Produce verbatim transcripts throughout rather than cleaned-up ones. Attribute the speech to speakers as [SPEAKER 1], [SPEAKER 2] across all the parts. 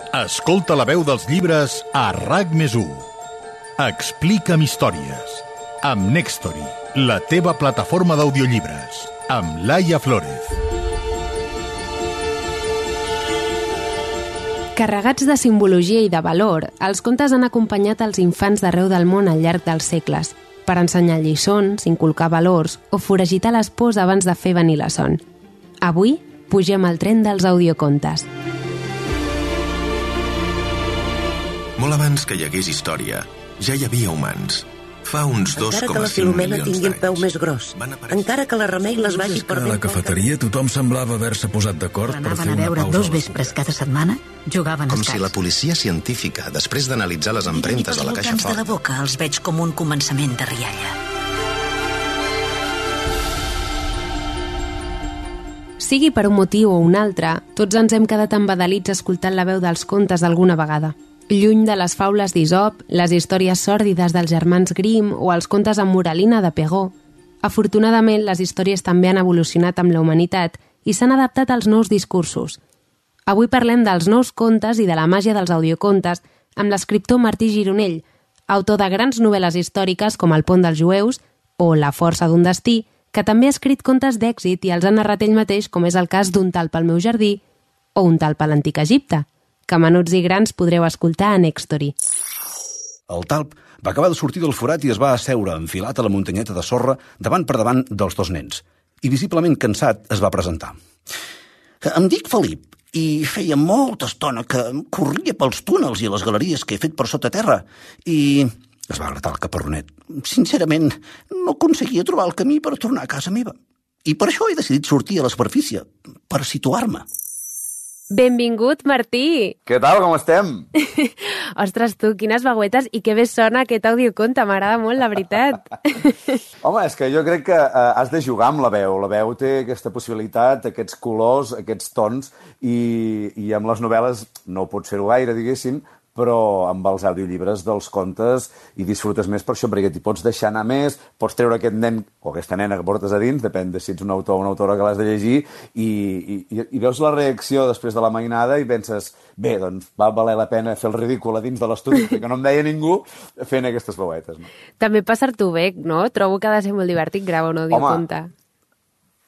[SPEAKER 1] Escolta la veu dels llibres a RAC més u. Explica'm històries. Amb Nextory, la teva plataforma d'audiollibres. Amb Laia Flórez.
[SPEAKER 2] Carregats de simbologia i de valor, els contes han acompanyat els infants d'arreu del món al llarg dels segles, per ensenyar lliçons, inculcar valors o foragitar les pors abans de fer venir la son. Avui, pugem al tren dels audiocontes.
[SPEAKER 3] Molt abans que hi hagués història, ja hi havia humans. Fa uns dos coma cinc milions d'anys.
[SPEAKER 4] Encara que la Filomena tingui el peu més gros, encara que la Remei les vagi per
[SPEAKER 5] ben... A la cafeteria tothom semblava haver-se posat d'acord per fer una pausa.
[SPEAKER 6] Anaven a veure dos vespres cada setmana, jugaven a
[SPEAKER 3] Com
[SPEAKER 6] escacs.
[SPEAKER 3] si la policia científica, després d'analitzar les empremtes de la caixa
[SPEAKER 6] fort... de la boca els veig com un començament de rialla.
[SPEAKER 2] Sigui per un motiu o un altre, tots ens hem quedat embadalits escoltant la veu dels contes alguna vegada. Lluny de les faules d'Isop, les històries sòrdides dels germans Grimm o els contes amb moralina de Perrault. Afortunadament, les històries també han evolucionat amb la humanitat i s'han adaptat als nous discursos. Avui parlem dels nous contes i de la màgia dels audiocontes amb l'escriptor Martí Gironell, autor de grans novel·les històriques com El pont dels jueus o La força d'un destí, que també ha escrit contes d'èxit i els ha narrat ell mateix, com és el cas d'Un talp al meu jardí o Un talp a l'antic Egipte, que menuts i grans podreu escoltar a Nextory.
[SPEAKER 7] El talp va acabar de sortir del forat i es va asseure enfilat a la muntanyeta de sorra davant per davant dels dos nens. I visiblement cansat es va presentar.
[SPEAKER 8] Em dic Felip i feia molta estona que corria pels túnels i les galeries que he fet per sota terra i...
[SPEAKER 7] Es va gratar el caparronet.
[SPEAKER 8] Sincerament, no aconseguia trobar el camí per tornar a casa meva. I per això he decidit sortir a la superfície, per situar-me.
[SPEAKER 2] Benvingut, Martí!
[SPEAKER 9] Què tal, com estem?
[SPEAKER 2] Ostres, tu, quines vagüetes i que bé sona aquest audioconte, m'agrada molt, la veritat.
[SPEAKER 9] Home, és que jo crec que uh, has de jugar amb la veu. La veu té aquesta possibilitat, aquests colors, aquests tons, i, i amb les novel·les no pots fer-ho gaire, diguéssim, però amb els audiollibres dels contes hi disfrutes més per això, perquè t'hi pots deixar anar més, pots treure aquest nen o aquesta nena que portes a dins, depèn de si ets un autor o una autora que l'has de llegir, i, i, i veus la reacció després de la mainada i penses, bé, doncs va valer la pena fer el ridícul a dins de l'estudi, que no em deia ningú, fent aquestes veuetes. No?
[SPEAKER 2] També passar-t'ho bé, no? Trobo que ha de ser molt divertit gravar un audioconte.
[SPEAKER 9] Home,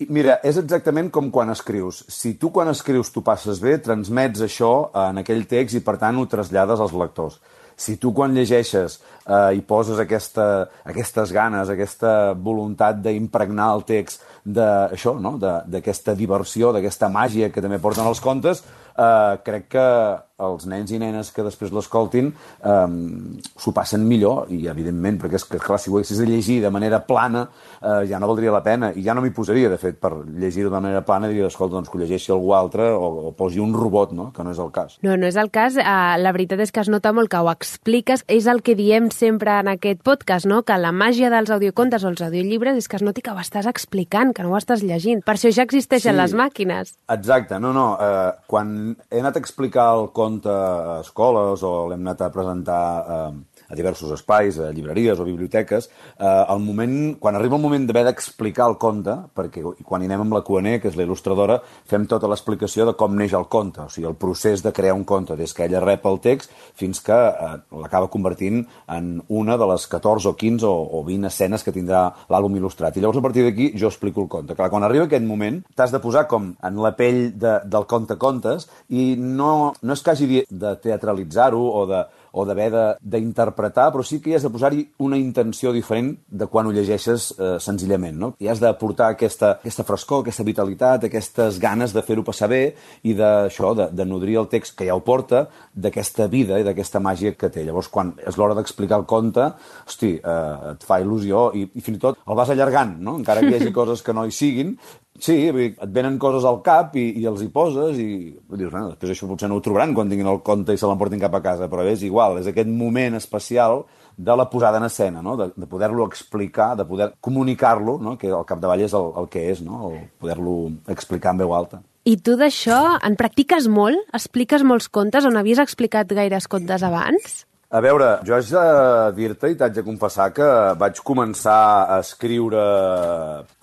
[SPEAKER 9] mira, és exactament com quan escrius. Si tu quan escrius t'ho passes bé, transmets això en aquell text i per tant ho trasllades als lectors. Si tu quan llegeixes eh, hi poses aquesta, aquestes ganes, aquesta voluntat d'impregnar el text d'això, no? d'aquesta diversió, d'aquesta màgia que també porten els contes, eh, crec que els nens i nenes que després l'escoltin eh, s'ho passen millor i, evidentment, perquè és que, clar, si ho haguessis de llegir de manera plana eh, ja no valdria la pena i ja no m'hi posaria, de fet, per llegir-ho de manera plana diria, escolta, doncs que ho llegeixi algú altre o, o posi un robot, no? Que no és el cas.
[SPEAKER 2] No, no és el cas. Uh, la veritat és que es nota molt que ho expliques. És el que diem sempre en aquest podcast, no? Que la màgia dels audiocontes o els audiollibres és que es noti que ho estàs explicant, que no ho estàs llegint. Per això ja existeixen
[SPEAKER 9] sí,
[SPEAKER 2] les màquines.
[SPEAKER 9] Exacte, no, no. Eh, quan he anat a explicar el conte a escoles o l'hem anat a presentar eh, a diversos espais, a llibreries o biblioteques, eh, el moment, quan arriba el moment d'haver d'explicar el conte, perquè quan hi anem amb la Q N E, que és la il·lustradora, fem tota l'explicació de com neix el conte, o sigui, el procés de crear un conte, des que ella rep el text fins que eh, l'acaba convertint en una de les catorze o quinze o, o vint escenes que tindrà l'àlbum il·lustrat. I llavors, a partir d'aquí, jo explico el conte. Clar, quan arriba aquest moment, t'has de posar com en la pell de, del conte-contes i no, no és que hagi de teatralitzar-ho o de o d'haver d'interpretar, però sí que hi has de posar-hi una intenció diferent de quan ho llegeixes eh, senzillament, no? I has d'aportar aquesta, aquesta frescor, aquesta vitalitat, aquestes ganes de fer-ho passar bé i d'això, de, de nodrir el text que ja ho porta, d'aquesta vida i d'aquesta màgia que té. Llavors, quan és l'hora d'explicar el conte, hosti, eh, et fa il·lusió i, i fins i tot el vas allargant, no? Encara que hi hagi coses que no hi siguin, sí, et venen coses al cap i, i els hi poses i dius, bueno, després això potser no ho trobaran quan tinguin el conte i se l'emportin cap a casa, però és igual, és aquest moment especial de la posada en escena, no? de, de poder-lo explicar, de poder comunicar-lo, no? Que al capdavall és el, el que és, no? El poder-lo explicar en veu alta.
[SPEAKER 2] I tu d'això en practiques molt? Expliques molts contes on havies explicat gaires contes abans?
[SPEAKER 9] A veure, jo haig de dir-te i t'haig de confessar que vaig començar a escriure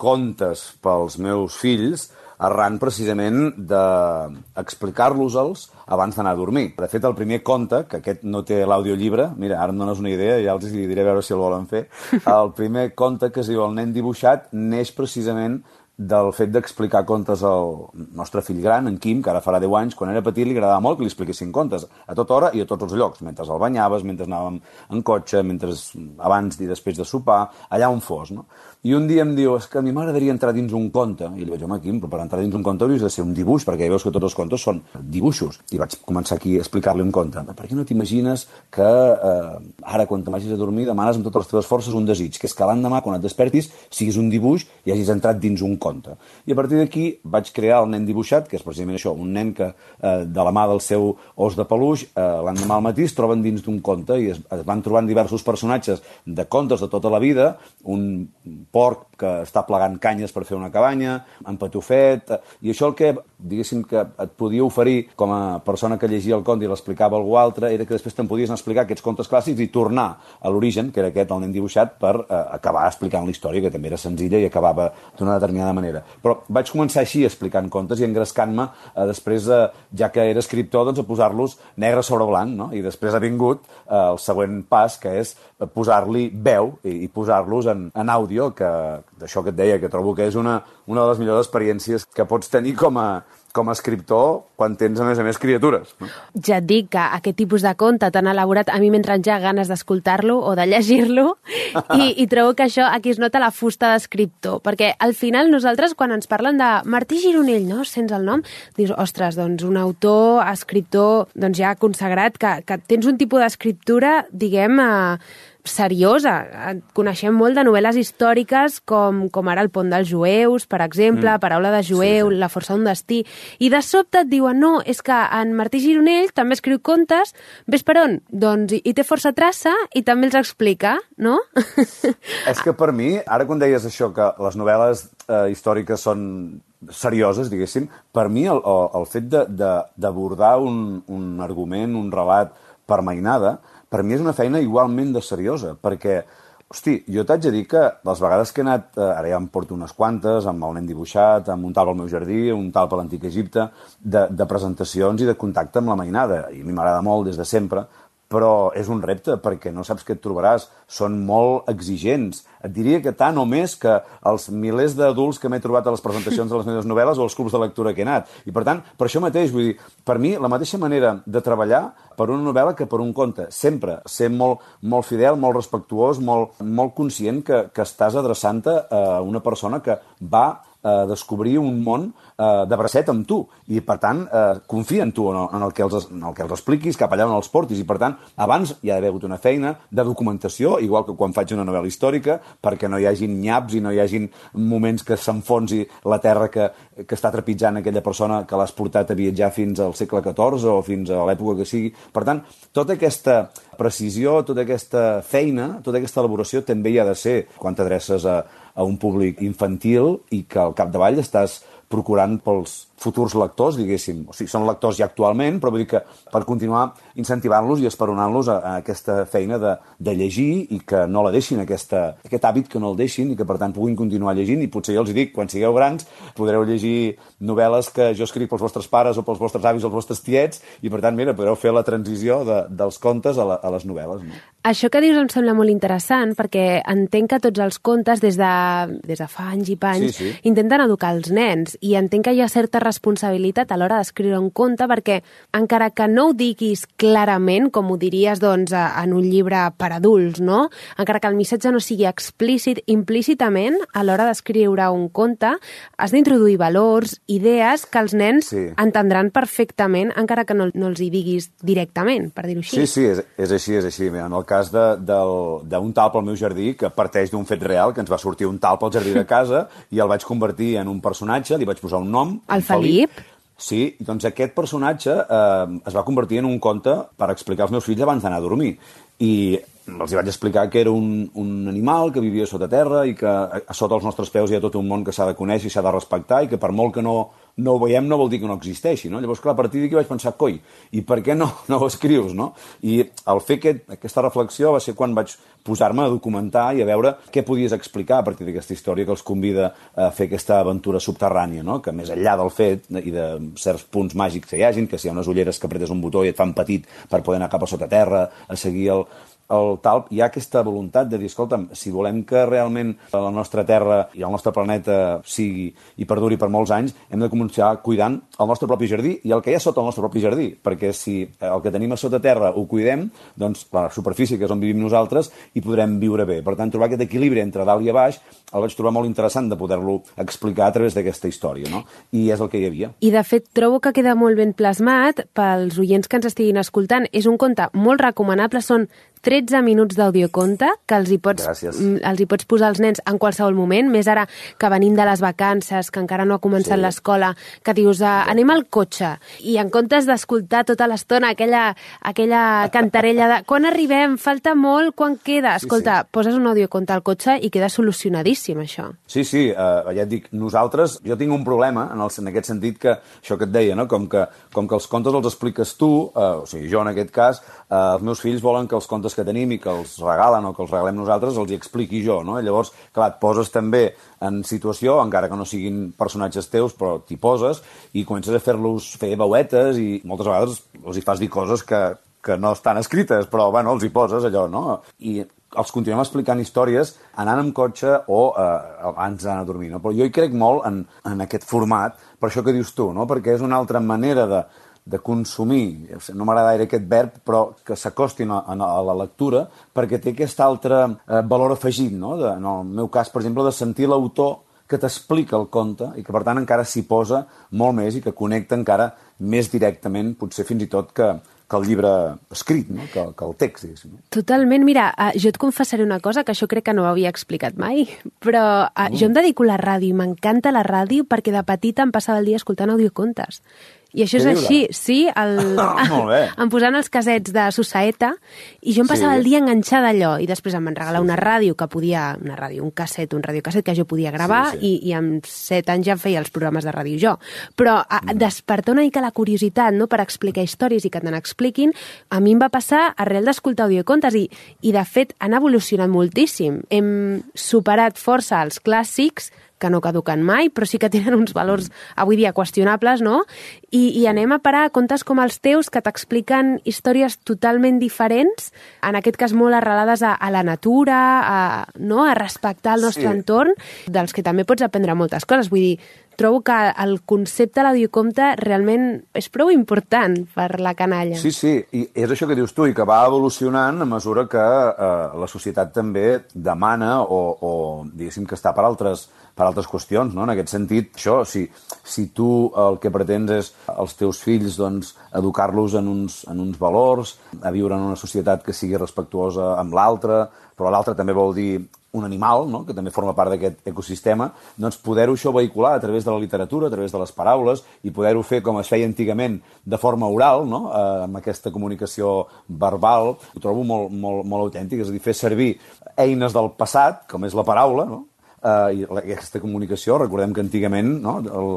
[SPEAKER 9] contes pels meus fills arran precisament d'explicar-los-els abans d'anar a dormir. De fet, el primer conte, que aquest no té l'audiollibre, mira, ara em dones una idea, ja els diré a veure si el volen fer, el primer conte, que es diu El nen dibuixat, neix precisament del fet d'explicar contes al nostre fill gran, en Quim, que ara farà deu anys. Quan era petit li agradava molt que li expliquessin contes a tota hora i a tots els llocs, mentre el banyaves, mentre anàvem en cotxe, mentre abans i després de sopar, allà on fos, no? I un dia em diu, és que a mi m'agradaria entrar dins un conte. I li vaig dir, home, Quim, però per entrar dins un conte hauries de ser un dibuix, perquè ja veus que tots els contes són dibuixos. I vaig començar aquí a explicar-li un conte. Per què no t'imagines que eh, ara, quan te vagis a dormir, demanes amb totes les teves forces un desig, que és que l'endemà, quan et despertis, siguis un dibuix i hagis entrat dins un conte. I a partir d'aquí vaig crear el nen dibuixat, que és precisament això, un nen que eh, de la mà del seu os de peluix, eh, l'endemà al matí es troben dins d'un conte i es, es van trobant diversos personatges de contes de tota la vida, un porc que està plegant canyes per fer una cabanya, en Patufet, i això el que, diguéssim, que et podia oferir com a persona que llegia el conte i l'explicava a algú altre, era que després te'n podies explicar aquests contes clàssics i tornar a l'origen, que era aquest, el nen dibuixat, per eh, acabar explicant la història, que també era senzilla i acabava d'una determinada manera. Però vaig començar així, explicant contes i engrescant-me eh, després, eh, ja que era escriptor, doncs, a posar-los negre sobre blanc, no? I després ha vingut eh, el següent pas, que és posar-li veu i, i posar-los en, en àudio, que d'això que et deia, que trobo que és una, una de les millors experiències que pots tenir com a, com a escriptor quan tens, a més a més, criatures. No?
[SPEAKER 2] Ja et dic que aquest tipus de conte tan elaborat a mi m'entren ja ganes d'escoltar-lo o de llegir-lo i, i trobo que això aquí es nota la fusta d'escriptor, perquè al final nosaltres quan ens parlen de Martí Gironell, no? Sents el nom, dius, ostres, doncs un autor, escriptor, doncs ja consagrat, que, que tens un tipus d'escriptura, diguem, eh, seriosa. Coneixem molt de novel·les històriques com, com ara El pont dels jueus, per exemple, mm. Paraula de jueu, sí, sí. La força d'un destí, i de sobte et diuen, no, és que en Martí Gironell també escriu contes, ves per on? Doncs hi té força traça i també els explica, no?
[SPEAKER 9] És que per mi, ara quan deies això, que les novel·les eh, històriques són serioses, diguéssim, per mi el, el, el fet d'abordar un, un argument, un relat per mainada, per mi és una feina igualment de seriosa, perquè, hosti, jo t'haig de dir que les vegades que he anat, eh, ara ja em porto unes quantes, amb el nen dibuixat, amb un talp al meu jardí, un talp a l'Antic Egipte, de, de presentacions i de contacte amb la mainada, i a mi m'agrada molt des de sempre, però és un repte, perquè no saps què et trobaràs. Són molt exigents. Et diria que tant o més que els milers d'adults que m'he trobat a les presentacions de les meves novel·les o als clubs de lectura que he anat. I, per tant, per això mateix, vull dir, per mi, la mateixa manera de treballar per una novel·la que per un conte. Sempre ser molt, molt fidel, molt respectuós, molt, molt conscient que, que estàs adreçant-te a una persona que va a descobrir un món eh, de bracet amb tu, i per tant eh, confia en tu, en el, en, el que els, en el que els expliquis, cap allà on els portis, i per tant abans hi ha d'haver hagut una feina de documentació, igual que quan faig una novel·la històrica, perquè no hi hagin nyaps i no hi hagin moments que s'enfonsi la terra que, que està trepitjant aquella persona que l'has portat a viatjar fins al segle catorze o fins a l'època que sigui. Per tant, tota aquesta precisió, tota aquesta feina, tota aquesta elaboració també hi ha de ser quan t'adreces a, a un públic infantil i que al capdavall estàs procurant pels futurs lectors, diguéssim. O sigui, són lectors ja actualment, però vull dir que per continuar incentivant-los i esperonant-los a, a aquesta feina de, de llegir i que no la deixin, aquesta, aquest hàbit que no el deixin i que, per tant, puguin continuar llegint. I potser jo els dic, quan sigueu grans, podreu llegir novel·les que jo escric pels vostres pares o pels vostres avis o pels vostres tiets i, per tant, mira, podreu fer la transició de, dels contes a, la, a les novel·les. No?
[SPEAKER 2] Això que dius em sembla molt interessant perquè entenc que tots els contes des de, des de fa anys i panys sí, sí. intenten educar els nens i entenc que hi ha certa responsabilitat a l'hora d'escriure un conte perquè encara que no ho diguis clarament, com ho diries doncs, en un llibre per adults, no? Encara que el missatge no sigui explícit, implícitament, a l'hora d'escriure un conte, has d'introduir valors, idees que els nens sí. entendran perfectament, encara que no, no els hi diguis directament, per dir-ho així.
[SPEAKER 9] Sí, sí, és, és així, és així. En el cas d'un talp al meu jardí, que parteix d'un fet real, que ens va sortir un talp al jardí de casa i el vaig convertir en un personatge, li vaig posar un nom.
[SPEAKER 2] El Felip. Felip.
[SPEAKER 9] Sí, doncs aquest personatge eh, es va convertir en un conte per explicar als meus fills abans d'anar a dormir. I els hi vaig explicar que era un, un animal que vivia sota terra i que a, a sota els nostres peus hi ha tot un món que s'ha de conèixer i s'ha de respectar i que per molt que no, no ho veiem no vol dir que no existeixi, no? Llavors, clar, a partir d'aquí vaig pensar, coi, i per què no, no ho escrius, no? I al fer aquest, aquesta reflexió va ser quan vaig posar-me a documentar i a veure què podies explicar a partir d'aquesta història que els convida a fer aquesta aventura subterrània, no? Que més enllà del fet i de certs punts màgics que hi hagin, que si hi ha unes ulleres que apretes un botó i et fan petit per poder anar cap a sota terra, a seguir el, el talp, hi ha aquesta voluntat de dir, escolta'm, si volem que realment la nostra Terra i el nostre planeta sigui i perduri per molts anys, hem de començar cuidant el nostre propi jardí i el que hi ha sota el nostre propi jardí, perquè si el que tenim a sota terra ho cuidem, doncs la superfície, que és on vivim nosaltres, hi podrem viure bé. Per tant, trobar aquest equilibri entre dalt i a baix el vaig trobar molt interessant de poder-lo explicar a través d'aquesta història, no? I és el que hi havia.
[SPEAKER 2] I, de fet, trobo que queda molt ben plasmat pels oients que ens estiguin escoltant. És un conte molt recomanable, són tretze minuts d'audioconte que els hi, pots, els hi pots posar als nens en qualsevol moment, més ara que venim de les vacances, que encara no ha començat sí. l'escola, que dius, anem al cotxe, i en comptes d'escoltar tota l'estona aquella, aquella cantarella de quan arribem, falta molt, quan queda? Escolta, sí, sí. poses un audioconte al cotxe i queda solucionadíssim, això.
[SPEAKER 9] Sí, sí, uh, ja et dic, nosaltres, jo tinc un problema en, el, en aquest sentit que, això que et deia, no? com, que, com que els contes els expliques tu, uh, o sigui, jo en aquest cas, uh, els meus fills volen que els contes que tenim i que els regalen o que els regalem nosaltres els hi expliqui jo, no? Llavors, clar, et poses també en situació, encara que no siguin personatges teus, però t'hi poses i comences a fer-los fer veuetes i moltes vegades els hi fas dir coses que, que no estan escrites, però, bueno, els hi poses allò, no? I els continuem explicant històries anant amb cotxe o eh, abans d'anar a dormir, no? Però jo hi crec molt en, en aquest format, per això que dius tu, no? Perquè és una altra manera de de consumir, no m'agrada gaire aquest verb, però que s'acostin a, a la lectura, perquè té aquest altre eh, valor afegit, no? De, en el meu cas, per exemple, de sentir l'autor que t'explica el conte i que, per tant, encara s'hi posa molt més i que connecta encara més directament, potser fins i tot que, que el llibre escrit, no? que, que el text. Diguéssim.
[SPEAKER 2] Totalment. Mira, jo et confessaré una cosa que això crec que no ho havia explicat mai, però uh, jo em dedico a la ràdio i m'encanta la ràdio perquè de petita em passava el dia escoltant audiocontes. I això és així, sí, el...
[SPEAKER 9] Molt bé.
[SPEAKER 2] em posant els casets de Susaeta i jo em passava sí. el dia enganxada allò i després em van regalar sí, una ràdio que podia, una ràdio, un casset, un radiocasset que jo podia gravar sí, sí. I, i amb set anys ja feia els programes de ràdio jo. Però a, mm. despertar una mica la curiositat, no?, per explicar històries i que te n'expliquin, a mi em va passar arrel d'escoltar audiocontes i, i de fet han evolucionat moltíssim. Hem superat força els clàssics que no caduquen mai, però sí que tenen uns valors avui dia qüestionables, no? I, i anem a parar a contes com els teus que t'expliquen històries totalment diferents, en aquest cas molt arrelades a, a la natura, a, no? a respectar el nostre sí. entorn, dels que també pots aprendre moltes coses. Vull dir, trobo que el concepte de l'audioconte realment és prou important per la canalla.
[SPEAKER 9] Sí, sí, i és això que dius tu, i que va evolucionant a mesura que eh, la societat també demana o, o diguéssim que està per altres, per altres qüestions, no? En aquest sentit, això, si, si tu el que pretens és els teus fills doncs, educar-los en uns, en uns valors, a viure en una societat que sigui respectuosa amb l'altre, però l'altre també vol dir un animal, no?, que també forma part d'aquest ecosistema, doncs poder-ho això vehicular a través de la literatura, a través de les paraules, i poder-ho fer com es feia antigament de forma oral, no?, eh, amb aquesta comunicació verbal, ho trobo molt, molt, molt autèntic, és a dir, fer servir eines del passat, com és la paraula, no?, Uh, i aquesta comunicació, recordem que antigament, no, el,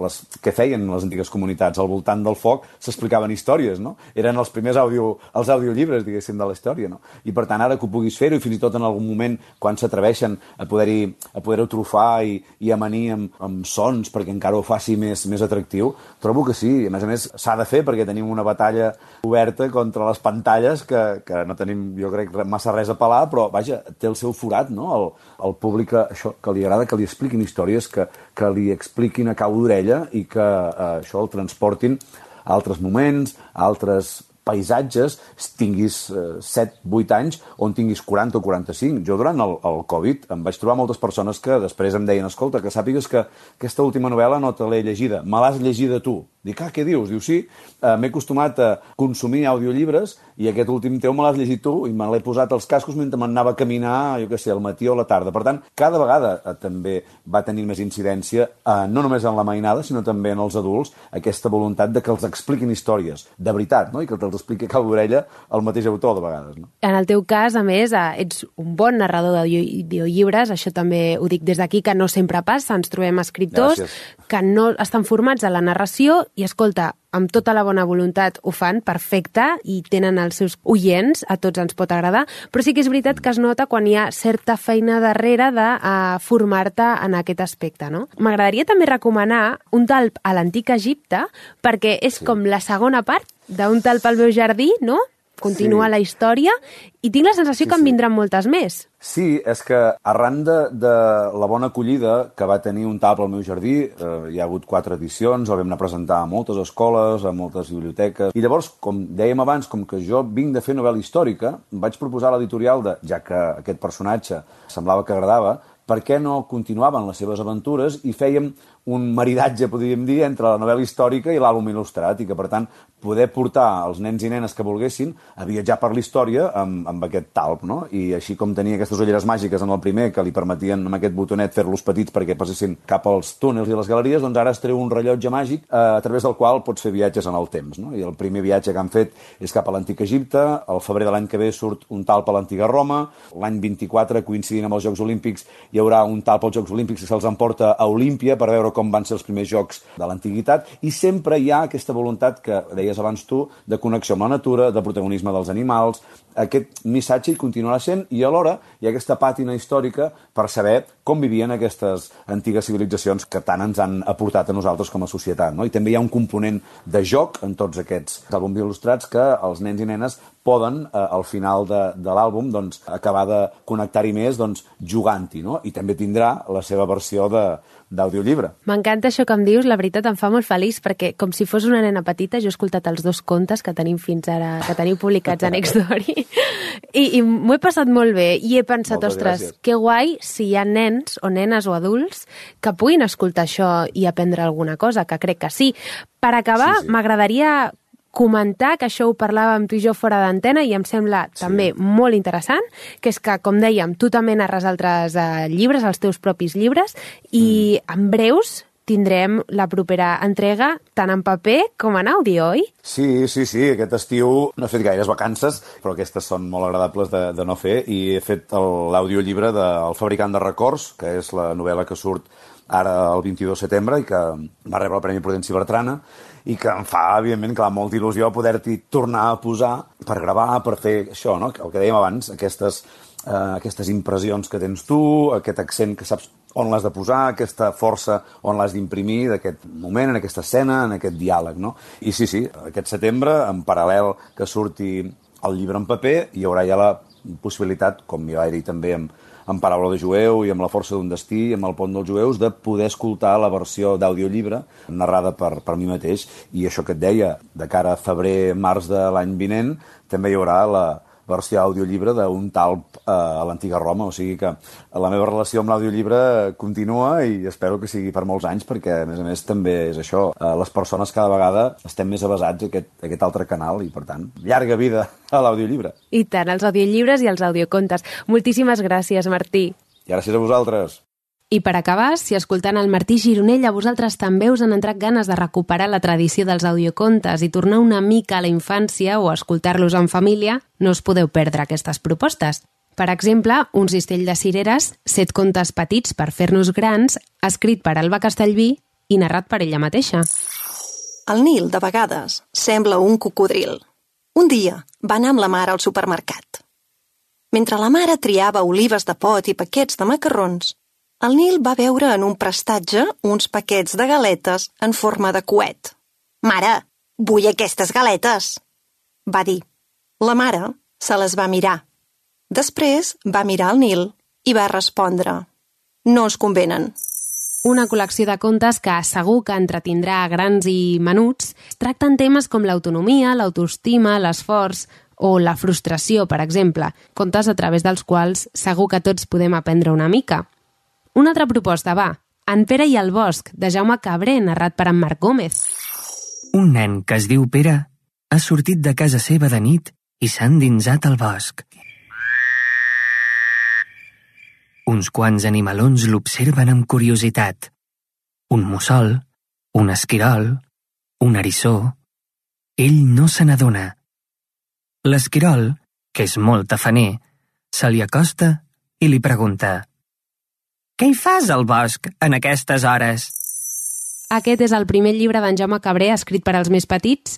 [SPEAKER 9] les, què feien les antigues comunitats? Al voltant del foc s'explicaven històries, no? Eren els primers audio, els audiollibres, diguéssim, de la història, no? I per tant, ara que ho puguis fer-ho, i fins i tot en algun moment, quan s'atreveixen a poder-hi a poder-ho trufar i, i amanir amb, amb sons perquè encara ho faci més, més atractiu, trobo que sí. A més a més, s'ha de fer perquè tenim una batalla oberta contra les pantalles que, que no tenim, jo crec, massa res a pelar, però, vaja, té el seu forat, no? El, el públic, això, que li agrada que li expliquin històries, que, que li expliquin a cau d'orella i que eh, això el transportin a altres moments, a altres paisatges, tinguis eh, set, vuit anys, on tinguis quaranta o quaranta-cinc. Jo durant el, el Covid em vaig trobar moltes persones que després em deien, escolta, que sàpigues que aquesta última novel·la no te l'he llegida, me l'has llegida tu. Dic, ah, què dius? Diu, sí, eh, m'he acostumat a consumir audiollibres i aquest últim teu me l'has llegit tu i me l'he posat als cascos mentre m'anava a caminar, jo què sé, al matí o a la tarda. Per tant, cada vegada eh, també va tenir més incidència, eh, no només en la mainada, sinó també en els adults, aquesta voluntat de que els expliquin històries, de veritat, no? I que te'ls expliqui a cau d'orella el mateix autor, de vegades. No?
[SPEAKER 2] En el teu cas, a més, eh, ets un bon narrador d'audiollibres, això també ho dic des d'aquí, que no sempre passa, ens trobem escriptors Gràcies. Que no estan formats a la narració. I, escolta, amb tota la bona voluntat ho fan perfecte i tenen els seus oients, a tots ens pot agradar, però sí que és veritat que es nota quan hi ha certa feina darrere de uh, formar-te en aquest aspecte, no? M'agradaria també recomanar Un talp a l'antic Egipte, perquè és sí. com la segona part d'Un talp al meu jardí, no? Continua sí. la història, i tinc la sensació sí, que en vindran sí. moltes més.
[SPEAKER 9] Sí, és que arran de, de la bona acollida que va tenir Un talp al meu jardí, eh, hi ha hagut quatre edicions, el vam anar a presentar a moltes escoles, a moltes biblioteques, i llavors, com dèiem abans, com que jo vinc de fer novel·la històrica, vaig proposar a l'editorial, de, ja que aquest personatge semblava que agradava, per què no continuaven les seves aventures i fèiem un maridatge, podríem dir, entre la novel·la històrica i l'àlbum il·lustrat, i que, per tant, poder portar els nens i nenes que volguessin a viatjar per la història amb, amb aquest talp, no? I així com tenia aquestes ulleres màgiques en el primer, que li permetien amb aquest botonet fer-los petits perquè passessin cap als túnels i les galeries, doncs ara es treu un rellotge màgic eh, a través del qual pots fer viatges en el temps, no? I el primer viatge que han fet és cap a l'antic Egipte, al febrer de l'any que ve surt Un talp a l'antiga Roma, l'any vint-i-quatre, coincidint amb els Jocs Olímpics, hi haurà un talp als Jocs Olímpics que se'ls emporta a Olímpia per veure com van ser els primers jocs de l'antiguitat, i sempre hi ha aquesta voluntat que deies abans tu, de connexió amb la natura, de protagonisme dels animals. Aquest missatge hi continuarà sent, i alhora hi ha aquesta pàtina històrica per saber com vivien aquestes antigues civilitzacions que tant ens han aportat a nosaltres com a societat, no? I també hi ha un component de joc en tots aquests àlbums il·lustrats que els nens i nenes poden, eh, al final de, de l'àlbum, doncs, acabar de connectar-hi més, doncs, jugant-hi, no? I també tindrà la seva versió de d'audiollibre.
[SPEAKER 2] M'encanta això que em dius, la veritat em fa molt feliç, perquè com si fos una nena petita jo he escoltat els dos contes que tenim fins ara, que teniu publicats a Nextory, i, i m'ho he passat molt bé, i he pensat,
[SPEAKER 9] Moltes
[SPEAKER 2] ostres,
[SPEAKER 9] gràcies.
[SPEAKER 2] que guai si hi ha nens o nenes o adults que puguin escoltar això i aprendre alguna cosa, que crec que sí. Per acabar, sí, sí. m'agradaria comentar, que això ho parlàvem tu i jo fora d'antena i em sembla sí. també molt interessant, que és que, com dèiem, tu també narres altres eh, llibres, els teus propis llibres, i mm. en breus tindrem la propera entrega tant en paper com en àudio, oi?
[SPEAKER 9] Sí, sí, sí. Aquest estiu no he fet gaires vacances, però aquestes són molt agradables de, de no fer, i he fet l'audiollibre de El fabricant de records, que és la novel·la que surt ara el vint-i-dos de setembre i que va rebre el Premi Prudenci Bertrana, i que em fa, evidentment, clar, molta il·lusió poder-t'hi tornar a posar per gravar, per fer això, no? El que dèiem abans, aquestes, eh, aquestes impressions que tens tu, aquest accent que saps on l'has de posar, aquesta força on l'has d'imprimir d'aquest moment, en aquesta escena, en aquest diàleg, no? I sí, sí, aquest setembre, en paral·lel que surti el llibre en paper, hi haurà ja la possibilitat, com hi va haver també amb amb Paraula de jueu i amb La força d'un destí, amb El pont dels jueus, de poder escoltar la versió d'audiollibre narrada per, per mi mateix. I això que et deia, de cara a febrer-març de l'any vinent, també hi haurà la versió audiollibre d'un talp eh, a l'antiga Roma, o sigui que la meva relació amb l'audiollibre continua i espero que sigui per molts anys, perquè a més a més també és això, eh, les persones cada vegada estem més avasats a aquest, a aquest altre canal i per tant, llarga vida a l'audiollibre.
[SPEAKER 2] I tant, els audiollibres i els audiocontes. Moltíssimes gràcies, Martí.
[SPEAKER 9] I gràcies a vosaltres.
[SPEAKER 2] I per acabar, si escoltant el Martí Gironell a vosaltres també us han entrat ganes de recuperar la tradició dels audiocontes i tornar una mica a la infància o escoltar-los en família, no us podeu perdre aquestes propostes. Per exemple, Un cistell de cireres, set contes petits per fer-nos grans, escrit per Alba Castellví i narrat per ella mateixa.
[SPEAKER 10] El Nil, de vegades, sembla un cocodril. Un dia va anar amb la mare al supermercat. Mentre la mare triava olives de pot i paquets de macarrons, el Nil va veure en un prestatge uns paquets de galetes en forma de coet. «Mare, vull aquestes galetes!» va dir. La mare se les va mirar. Després va mirar el Nil i va respondre. «No us convenen».
[SPEAKER 2] Una col·lecció de contes que segur que entretindrà grans i menuts tracten temes com l'autonomia, l'autoestima, l'esforç o la frustració, per exemple, contes a través dels quals segur que tots podem aprendre una mica. Una altra proposta, va. En Pere i el bosc, de Jaume Cabré, narrat per en Marc Gómez.
[SPEAKER 11] Un nen que es diu Pere ha sortit de casa seva de nit i s'ha endinsat al bosc. Uns quants animalons l'observen amb curiositat. Un mussol, un esquirol, un eriçó. Ell no se n'adona. L'esquirol, que és molt tafaner, se li acosta i li pregunta: «Què hi fas al bosc en aquestes hores?»
[SPEAKER 2] Aquest és el primer llibre d'en Jaume Cabré escrit per als més petits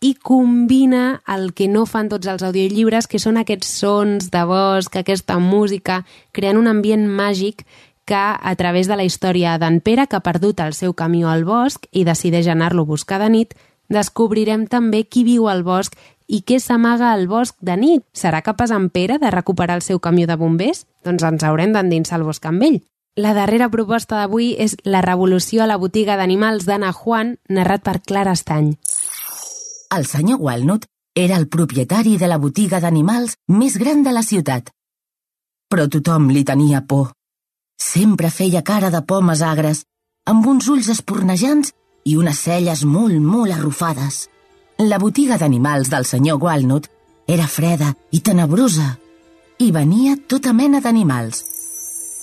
[SPEAKER 2] i combina el que no fan tots els audiollibres, que són aquests sons de bosc, aquesta música, creant un ambient màgic que, a través de la història d'en Pere, que ha perdut el seu camió al bosc i decideix anar-lo a buscar de nit, descobrirem també qui viu al bosc i què s'amaga al bosc de nit. Serà capaç en Pere de recuperar el seu camió de bombers? Doncs ens haurem d'endinsar al bosc amb ell. La darrera proposta d'avui és La revolució a la botiga d'animals d'Anna Juan, narrat per Clara Estany.
[SPEAKER 12] El senyor Walnut era el propietari de la botiga d'animals més gran de la ciutat. Però tothom li tenia por. Sempre feia cara de pomes agres, amb uns ulls espornejants i unes celles molt, molt arrufades. La botiga d'animals del senyor Walnut era freda i tenebrosa, i venia tota mena d'animals.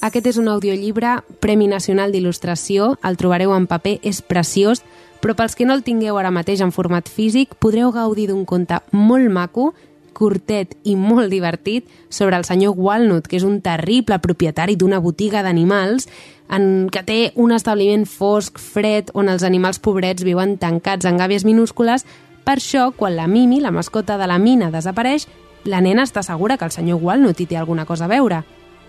[SPEAKER 2] Aquest és un audiollibre Premi Nacional d'Il·lustració, el trobareu en paper, és preciós, però pels que no el tingueu ara mateix en format físic, podreu gaudir d'un conte molt maco, curtet i molt divertit, sobre el senyor Walnut, que és un terrible propietari d'una botiga d'animals en què té un establiment fosc, fred, on els animals pobrets viuen tancats en gàbies minúscules. Per això, quan la Mimi, la mascota de la mina, desapareix, la nena està segura que el senyor Walnut hi té alguna cosa a veure.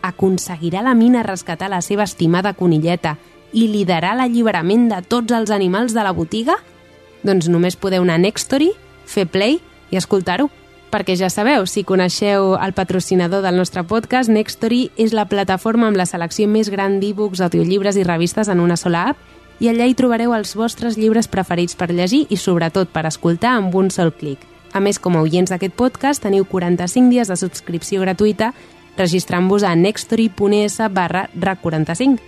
[SPEAKER 2] Aconseguirà la Mina rescatar la seva estimada conilleta i liderar l'alliberament de tots els animals de la botiga? Doncs només podeu anar a Nextory, fer play i escoltar-ho. Perquè ja sabeu, si coneixeu el patrocinador del nostre podcast, Nextory és la plataforma amb la selecció més gran d'e-books, audiollibres i revistes en una sola app, i allà hi trobareu els vostres llibres preferits per llegir i sobretot per escoltar amb un sol clic. A més, com a oients d'aquest podcast, teniu quaranta-cinc dies de subscripció gratuïta registrant-vos a nextory.es barra rac quaranta-cinc.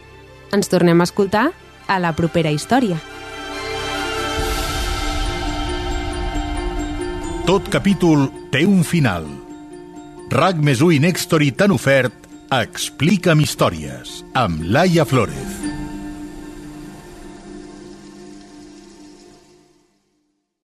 [SPEAKER 2] Ens tornem a escoltar a la propera història.
[SPEAKER 1] Tot capítol té un final. RAC més u i Nextory t'han ofert Explica'm històries, amb Laia Flórez.